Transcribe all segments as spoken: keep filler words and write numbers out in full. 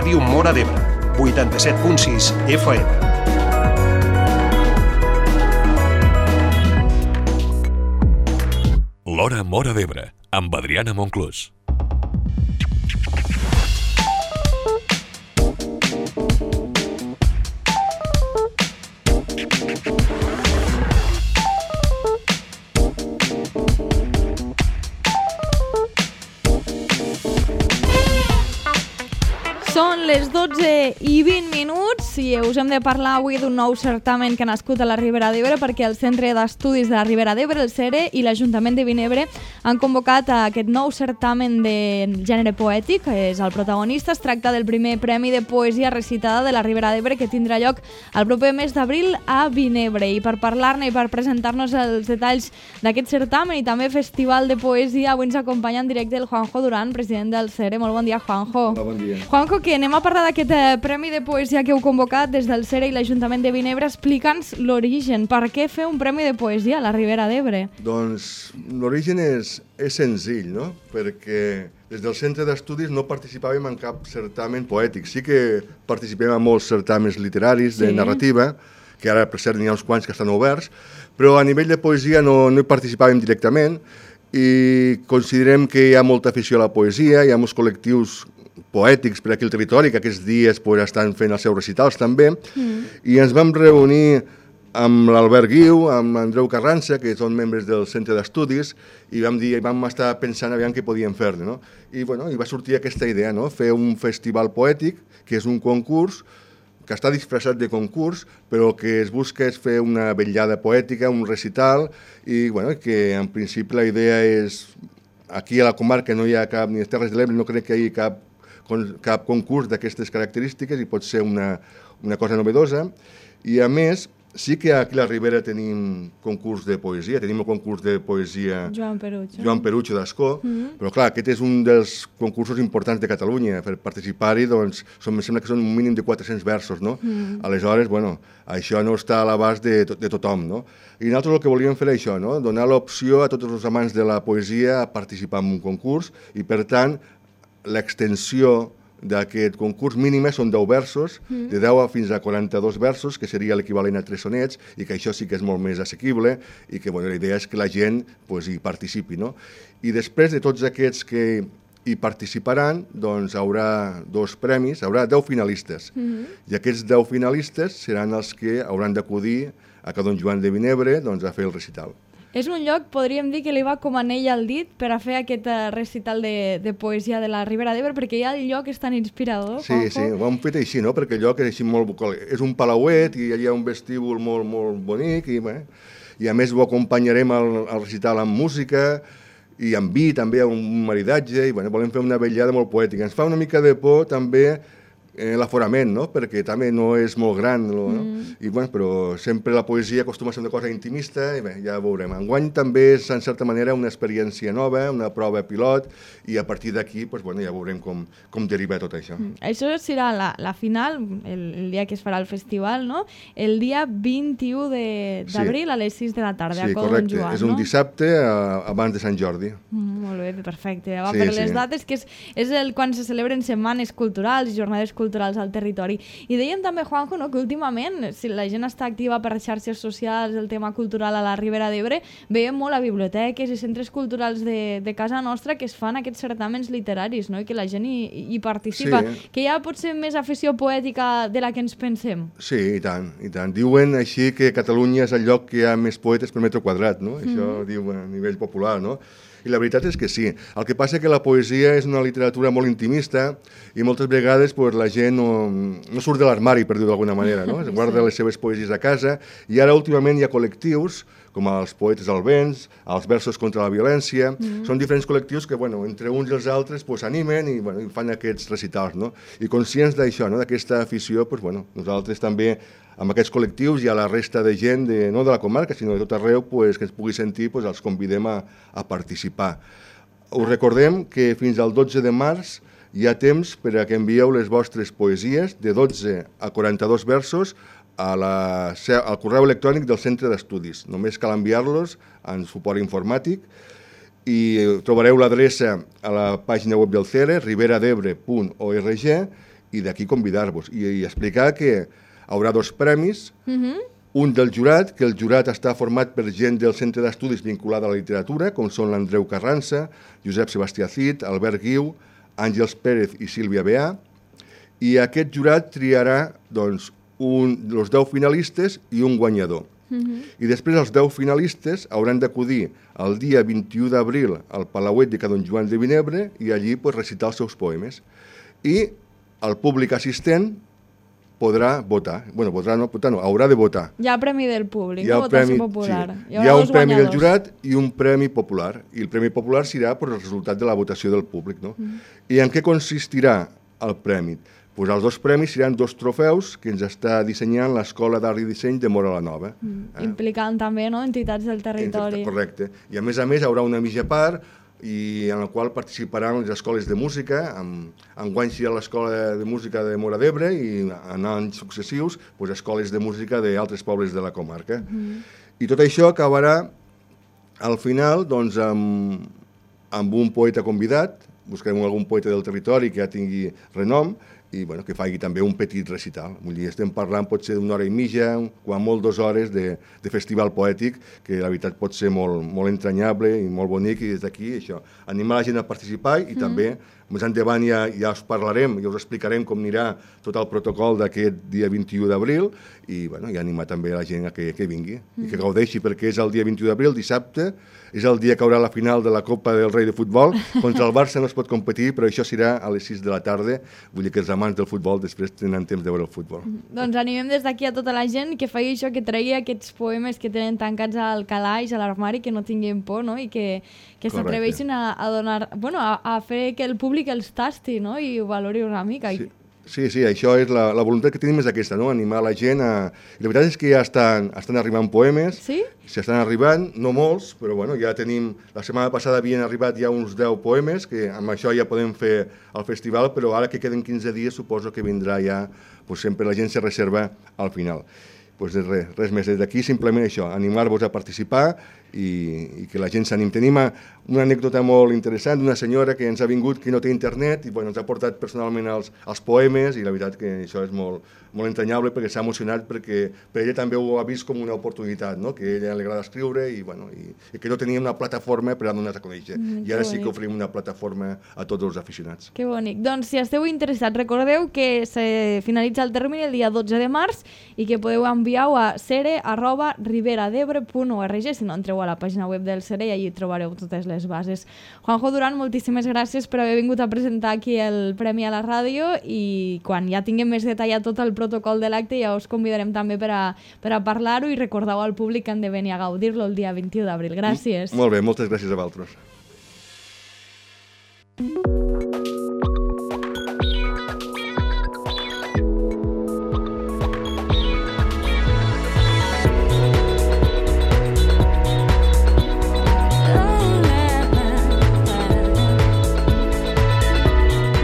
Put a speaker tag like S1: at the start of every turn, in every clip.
S1: Ràdio Móra d'Ebre, vuitanta-set punt sis F M.
S2: L'Hora Móra d'Ebre, amb Adriana Monclús.
S3: Són les dotze i vint minuts i us hem de parlar avui d'un nou certamen que ha nascut a la Ribera d'Ebre, perquè el Centre d'Estudis de la Ribera d'Ebre, el CERE, i l'Ajuntament de Vinebre han convocat a aquest nou certamen de gènere poètic, que és el protagonista. Es tracta del primer Premi de Poesia Recitada de la Ribera d'Ebre, que tindrà lloc el proper mes d'abril a Vinebre. I per parlar-ne i per presentar-nos els detalls d'aquest certamen i també festival de poesia, avui ens acompanya en directe el Juanjo Duran, president del CERE. Molt bon dia, Juanjo.
S4: Hola, bon dia.
S3: Juanjo, que anem a parlar d'aquest eh, Premi de Poesia que heu convocat des del CERE i l'Ajuntament de Vinebre. Explica'ns l'origen. Per què fer un Premi de Poesia a la Ribera d'Ebre?
S4: Doncs l'origen és, és senzill, no? Perquè des del Centre d'Estudis no participàvem en cap certamen poètic. Sí que participem en molts certamens literaris de
S3: Sí.
S4: narrativa, que ara per cert n'hi ha uns quants que estan oberts, però a nivell de poesia no, no hi participàvem directament i considerem que hi ha molta afició a la poesia, hi ha molts col·lectius poètics per aquí al territori, que aquests dies pues, estan fent els seus recitals també, mm. i ens vam reunir amb l'Albert Guiu, amb Andreu Carranza, que són membres del Centre d'Estudis, i vam dir, vam estar pensant aviam què podíem fer, no? I, bueno, i va sortir aquesta idea, no? Fer un festival poètic, que és un concurs, que està disfressat de concurs, però que es busca és fer una vetllada poètica, un recital, i bueno, que en principi la idea és, aquí a la comarca no hi ha cap, ni a les Terres de l'Ebre no crec que hi hagi cap cap concurs d'aquestes característiques i pot ser una, una cosa novedosa. I a més, sí que aquí a la Ribera tenim concurs de poesia, tenim el concurs de poesia
S3: Joan Perucho,
S4: Joan Perucho d'Ascó,
S3: Mm-hmm.
S4: però clar, aquest és un dels concursos importants de Catalunya. Per participar-hi, doncs, són, em sembla que són un mínim de quatre-cents versos, no?
S3: Mm.
S4: Aleshores, bueno, això no està a l'abast de, to- de tothom, no? I nosaltres el que volíem fer és això, no? Donar l'opció a tots els amants de la poesia a participar en un concurs i, per tant, l'extensió d'aquest concurs mínima són deu versos, mm. de deu a fins a quaranta-dos versos, que seria l'equivalent a tres sonets, i que això sí que és molt més assequible, i que bueno, la idea és que la gent pues, hi participi. No? I després de tots aquests que hi participaran, doncs haurà dos premis, haurà deu finalistes, mm. i aquests deu finalistes seran els que hauran d'acudir a Ca Don Joan de Vinebre doncs, a fer el recital.
S3: És un lloc, podríem dir, que li va com anell al dit per a fer aquest uh, recital de, de poesia de la Ribera d'Ebre, perquè ja el lloc és tan inspirador.
S4: Sí,
S3: Juanjo.
S4: sí, ho hem fet així, no? Perquè el lloc és així molt bucol. És un palauet i hi ha un vestíbul molt, molt bonic i, bé, i a més ho acompanyarem al, al recital amb música i amb vi, també, un maridatge, i bé, volem fer una vetllada molt poètica. Ens fa una mica de por també eh, l'aforament, no? Perquè també no és molt gran, no? Mm. I, bueno, però sempre la poesia acostuma a ser una cosa intimista i bé, ja veurem. Enguany també és, en certa manera, una experiència nova, una prova pilot, i a partir d'aquí pues, bueno, ja veurem com, com deriva tot això.
S3: Mm. Això serà la, la final, el, el dia que es farà el festival, no? El dia vint-i-u d'abril sí. a les sis de la tarda,
S4: sí,
S3: a Ca Don
S4: correcte.
S3: Joan,
S4: És un
S3: no?
S4: dissabte a, abans de Sant Jordi.
S3: Mm, molt bé, perfecte. Va,
S4: Sí,
S3: per
S4: sí.
S3: les dates, que és, és el, quan se celebren setmanes culturals i jornades culturals al territori. I dèiem també, Juanjo, no, que últimament, si la gent està activa per xarxes socials, el tema cultural a la Ribera d'Ebre, veiem molt a biblioteques i centres culturals de, de casa nostra que es fan aquests certàmens literaris, no? I que la gent hi, hi participa.
S4: Sí.
S3: Que hi ha potser més afició poètica de la que ens pensem.
S4: Sí, i tant, i tant. Diuen així que Catalunya és el lloc que hi ha més poetes per metre quadrat, no? Això mm. diu a nivell popular, no? I la veritat és que sí. El que passa és que la poesia és una literatura molt intimista i moltes vegades pues, la gent no, no surt de l'armari, per dir-ho d'alguna manera, no? Es guarda les seves poesies a casa i ara últimament hi ha col·lectius com els Poetes al Vents, els Versos contra la Violència, mm. són diferents col·lectius que, bueno, entre uns i els altres pues, animen i, bueno, i fan aquests recitals, no? I conscients d'això, no? D'aquesta afició, pues, bueno, nosaltres també amb aquests col·lectius i a la resta de gent, de, no de la comarca, sinó de tot arreu, pues, que ens pugui sentir, pues, els convidem a, a participar. Us recordem que fins al dotze de març hi ha temps per a que envieu les vostres poesies de dotze a quaranta-dos versos a la, al correu electrònic del Centre d'Estudis. Només cal enviar-los en suport informàtic i trobareu l'adreça a la pàgina web del CERE, riberadebre punt org, i d'aquí convidar-vos i, i explicar que hi haurà dos premis,
S3: Mhm.
S4: un del jurat, que el jurat està format per gent del Centre d'Estudis vinculada a la literatura, com són l'Andreu Carranza, Josep Sebastià Cid, Albert Guiu, Àngels Pérez i Sílvia Beà, i aquest jurat triarà doncs, un, els deu finalistes i un guanyador.
S3: Mhm.
S4: I després els deu finalistes hauran d'acudir el dia vint-i-u d'abril al Palauet de Ca Don Joan de Vinebre i allí pues, recitar els seus poemes. I el públic assistent podrà votar. Bueno, podrà no, votar no, haurà de votar.
S3: Hi ha premi del públic,
S4: Hi ha,
S3: no?
S4: el
S3: Votació
S4: premi,
S3: popular.
S4: sí. Hi ha un
S3: dos
S4: premi del
S3: guanyadors.
S4: jurat i un premi popular. I el premi popular serà per el resultat de la votació del públic. No? Mm. I en què consistirà el premi? Pues els dos premis seran dos trofeus que ens està dissenyant l'Escola d'Art i Disseny de Móra la Nova.
S3: Mm. Eh? Implicant també, no?, entitats del territori.
S4: Correcte. I a més a més hi haurà una mitja part i en la qual participaran les escoles de música. Enguany serà l'Escola de Música de Móra d'Ebre i en anys successius pues, escoles de música d'altres pobles de la comarca. Mm. I tot això acabarà al final doncs, amb, amb un poeta convidat. Buscarem algun poeta del territori que ja tingui renom i bueno, que faci també un petit recital. Vull dir, estem parlant potser d'una hora i mitja, quan molt dues hores de, de festival poètic, que la veritat pot ser molt, molt entranyable i molt bonic, i des d'aquí això, animar la gent a participar i mm. també més endavant ja, ja us parlarem i us explicarem com anirà tot el protocol d'aquest dia vint-i-u d'abril i, bueno, i animar també la gent a que, que vingui mm. i que gaudeixi, perquè és el dia vint-i-u d'abril, dissabte, és el dia que haurà la final de la Copa del Rei de Futbol. Contra el Barça no es pot competir, però això serà a les sis de la tarda. Vull dir que els amants del futbol després tenen temps de veure el futbol.
S3: Mm. Doncs animem des d'aquí a tota la gent que faci això, que tregui aquests poemes que tenen tancats al calaix, a l'armari, que no tinguin por, no? I que, que s'atreveixin a, a donar, bueno, a, a fer que el públic els tasti, no? I ho valori una mica.
S4: Sí. Sí, sí, això és la, la voluntat que tenim és aquesta, no? Animar la gent a... I la veritat és que ja estan, estan arribant poemes,
S3: sí?
S4: S'estan arribant, no molts, però bueno, ja tenim... La setmana passada havien arribat ja uns deu poemes, que amb això ja podem fer el festival, però ara que queden quinze dies suposo que vindrà ja, pues sempre la gent se reserva al final. Pues res, res més, des d'aquí simplement això, animar-vos a participar i, i que la gent s'anim. Tenim una anècdota molt interessant d'una senyora que ens ha vingut que no té internet i bueno, ens ha portat personalment els, els poemes i la veritat que això és molt, molt entranyable perquè s'ha emocionat perquè per ella també ho ha vist com una oportunitat, no? Que a ella li agrada escriure i, bueno, i, i que no tenia una plataforma per a donar-nos a conèixer. Mm, I ara sí que oferim una plataforma a tots els aficionats.
S3: Que bonic. Doncs si esteu interessats, recordeu que se finalitza el termini el dia dotze de març i que podeu enviar-ho a sere arroba riberadebre punt org. Si no, entreu a la pàgina web del Sere i allí trobareu totes les bases. Juanjo Duran, moltíssimes gràcies per haver vingut a presentar aquí el Premi a la Ràdio i quan ja tinguem més detallat tot el protocol de l'acte ja us convidarem també per a, per a parlar-ho i recordeu al públic que han de venir a gaudir-lo el dia vint-i-u d'abril. Gràcies.
S4: Molt bé, moltes gràcies a vosaltres.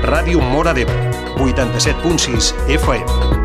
S1: Ràdio Móra d'Ebre, vuitanta-set punt sis F M.